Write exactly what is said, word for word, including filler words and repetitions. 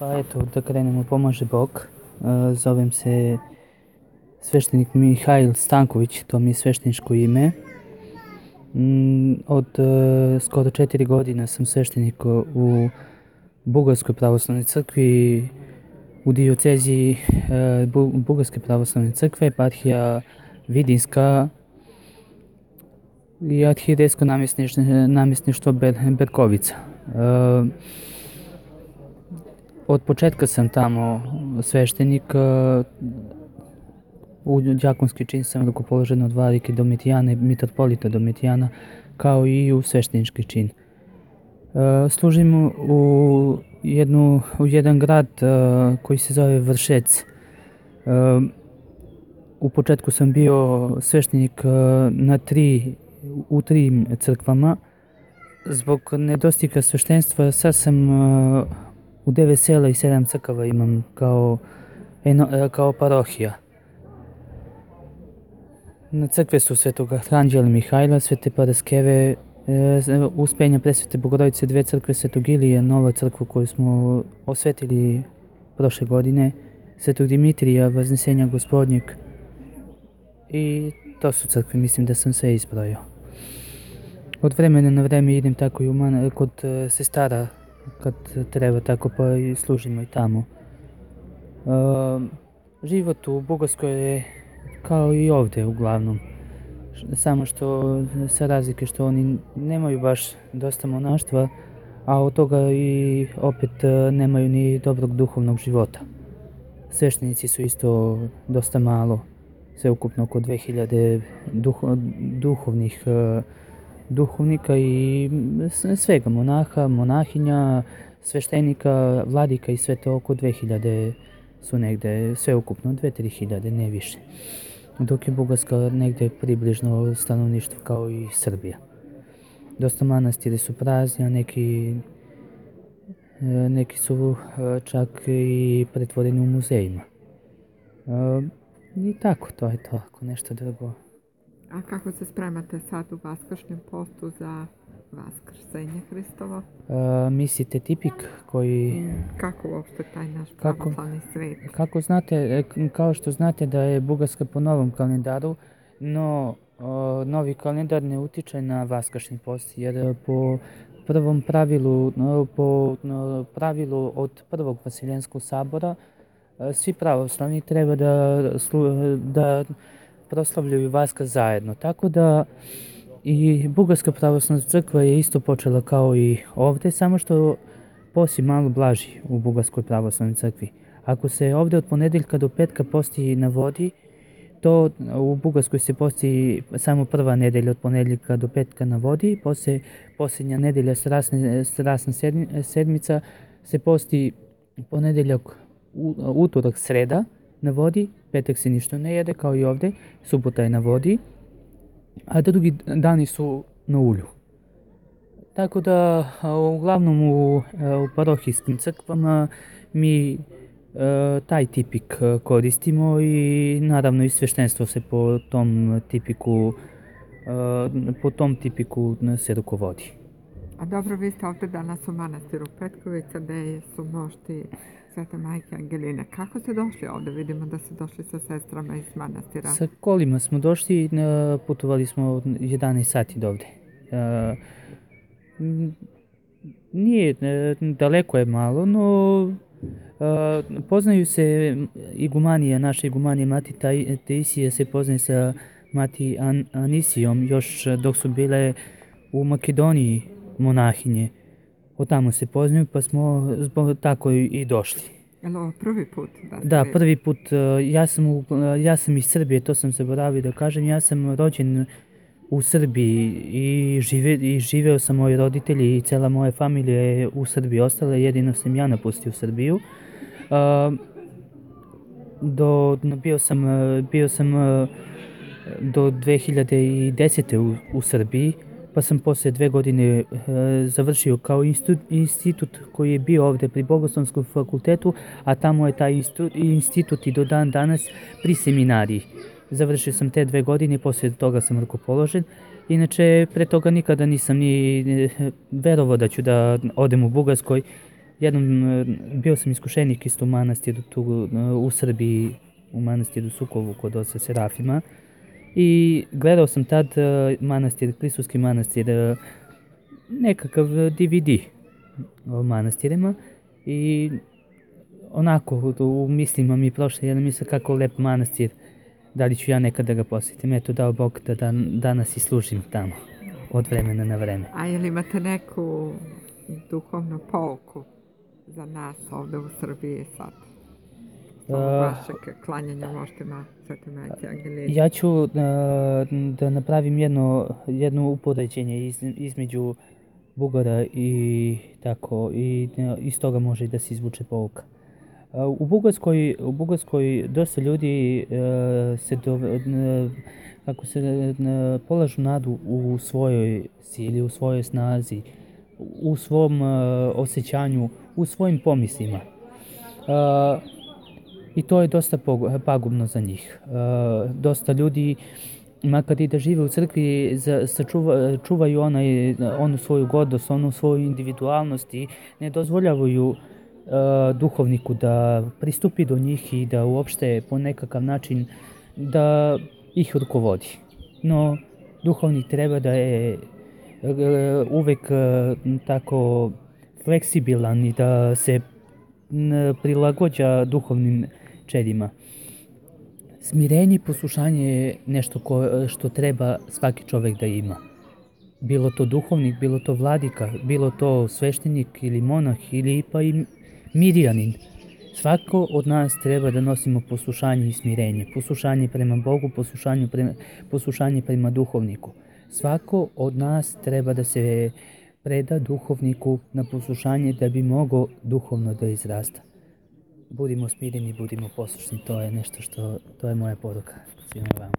Pa eto, da krenemo, pomaže Bog. E, Zovem se sveštenik Mihajl Stanković, to mi je svešteničko ime. Mm, Od e, skoro četiri godina sam sveštenik u Bugarskoj pravoslavnoj crkvi, u dioceziji e, Bu- Bugarske pravoslavne crkve, eparhija Vidinska i arhijerejsko namjesništvo, namjesništvo Ber- Berkovica. E, Od početka sam tamo sveštenik, e, u đakonski čin sam rukopoložen od vladike Domitijana i mitropolita Domitijana, kao i u sveštenički čin. E, Služim u, jednu, u jedan grad e, koji se zove Vršec. E, U početku sam bio sveštenik e, na tri, u tri crkvama. Zbog nedostika sveštenstva sad sam e, u devet sela i sedam crkava imam kao, eno, e, kao parohija. Na crkve su Svetog Anđela Mihajla, Svete Paraskeve, e, Uspenja Presvete Bogorodice, dve crkve Svetog Ilije, nova crkva koju smo osvetili prošle godine, Svetog Dimitrija, Vaznesenja Gospodnjeg, i to su crkve, mislim da sam sve izbrojao. Od vremena na vreme idem tako i u man, kod e, sestara, kad treba tako, pa i služimo i tamo. E, Život u Bugarskoj je kao i ovde uglavnom. Š- Samo što sa razlike što oni nemaju baš dosta monaštva, a od toga i opet e, nemaju ni dobrog duhovnog života. Sveštenici su isto dosta malo, sve ukupno oko dve hiljade duho, duhovnih e, duhovnika i s- svega, monaha, monahinja, sveštenika, vladika i sve to oko dve hiljade su negde, sve ukupno dve do tri hiljade, ne više. Dok je Bugarska negde približno stanovništvo kao i Srbija. Dosta manastiri su prazni, a neki, e, neki su e, čak i pretvoreni u muzejima. E, I tako, to je to, ako nešto drugo. A kako se spremate sad u vaskršnjem postu za Vaskrsenje Hristovo? E, Mislite tipik koji, Mm, Kako uopšte taj naš Kako? pravoslavni svet? kako znate, e, k- kao što znate da je Bugarska po novom kalendaru, no o, novi kalendar ne utiče na vaskršnji post, jer e, po prvom pravilu, no, po no, pravilu od prvog Vasiljenskog sabora, e, svi pravoslavni treba da, slu- da proslavljaju Vaskrs zajedno. Tako da i Bugarska pravoslavna crkva je isto počela kao i ovde, samo što post je malo blaži u Bugarskoj pravoslavnoj crkvi. Ako se ovde od ponedeljka do petka posti na vodi, to u Bugarskoj se posti samo prva nedelja od ponedeljka do petka na vodi, posle posljednja nedelja strasne, strasna sedmi- sedmica se posti ponedeljak, u- utorak, sreda na vodi, petak se ništa ne jede kao i ovde, subota je na vodi, a drugi dani su na ulju. Tako da, a, uglavnom u, e, u parohijskim crkvama mi e, taj tipik e, koristimo i naravno i sveštenstvo se po tom tipiku e, po tom tipiku n- se rukovodi. A dobro, vi ste ovde danas u manastiru Petkovica, gde su mošti Svete majke Angeline. Kako ste došli ovde? Vidimo da ste došli sa sestrama iz manastira. Sa kolima smo došli, e, putovali smo jedanaest sati do ovde. E, m, Nije, e, daleko je malo, no e, poznaju se igumanija, naša igumanija Mati Taj- Taisija se poznaje sa Mati An- Anisijom još dok su bile u Makedoniji monahinje. Od tamo se poznaju, pa smo zbog tako i i došli. Jel ovo prvi put da ste? Da, prvi put, e, ja sam, u- e, ja sam iz Srbije, to sam zaboravio da kažem, ja sam rođen u Srbiji i, žive, i živeo sam, moji roditelji i cela moja familija je u Srbiji ostala, jedino sam ja napustio Srbiju. A, do, no, bio sam, e, bio sam e, do dve hiljade desete. u, u Srbiji, pa sam posle dve godine e, završio kao institut, institut koji je bio ovde pri Bogoslovskom fakultetu, a tamo je taj instu- institut i do dan danas pri seminariji. Završio sam te dve godine, posle toga sam rukopoložen. Inače, pre toga nikada nisam ni e, verovao da ću da odem u Bugarskoj. jednom, e, bio sam iskušenik isto u manastiru tu e, u Srbiji, u manastiru Sukovu kod oca Serafima. I gledao sam tad e, manastir, Klisovski manastir, e, nekakav D V D o manastirima i onako u mislima mi je prošla jedna misla kako lep manastir, da li ću ja nekada da ga posjetim. Eto, dao Bog da dan, danas i služim tamo od vremena na vreme. A je li imate neku duhovnu pouku za nas ovde u Srbiji sad? Ovo vašeg klanjanja moštima Svete Majke Angelini. Ja ću da, da napravim jedno, jedno upoređenje iz, između Bugara i tako, i iz toga može da se izvuče pouka. U Bugarskoj, u Bugarskoj dosta ljudi uh, se, do, uh, kako se uh, polažu nadu u svojoj sili, u svojoj snazi, u svom uh, osjećanju, u svojim pomislima. Uh, I to je dosta pagubno za njih. Uh, dosta ljudi, makar i da žive u crkvi, za, sačuva, čuvaju onaj, onu svoju gordost, onu svoju individualnost i ne dozvoljavaju uh, duhovniku da pristupi do njih i da uopšte po nekakav način da ih rukovodi. No, duhovnik treba da je uh, uvek uh, tako fleksibilan i da se n, prilagođa duhovnim čedima. Smirenje i poslušanje je nešto ko, što treba svaki čovek da ima. Bilo to duhovnik, bilo to vladika, bilo to sveštenik ili monah ili pa i mirjanin. Svako od nas treba da nosimo poslušanje i smirenje. Poslušanje prema Bogu, poslušanje prema, poslušanje prema duhovniku. Svako od nas treba da se preda duhovniku na poslušanje da bi mogao duhovno da izrasta. Budimo smireni, budimo poslušni, to je nešto što, to je moja poruka svima vama.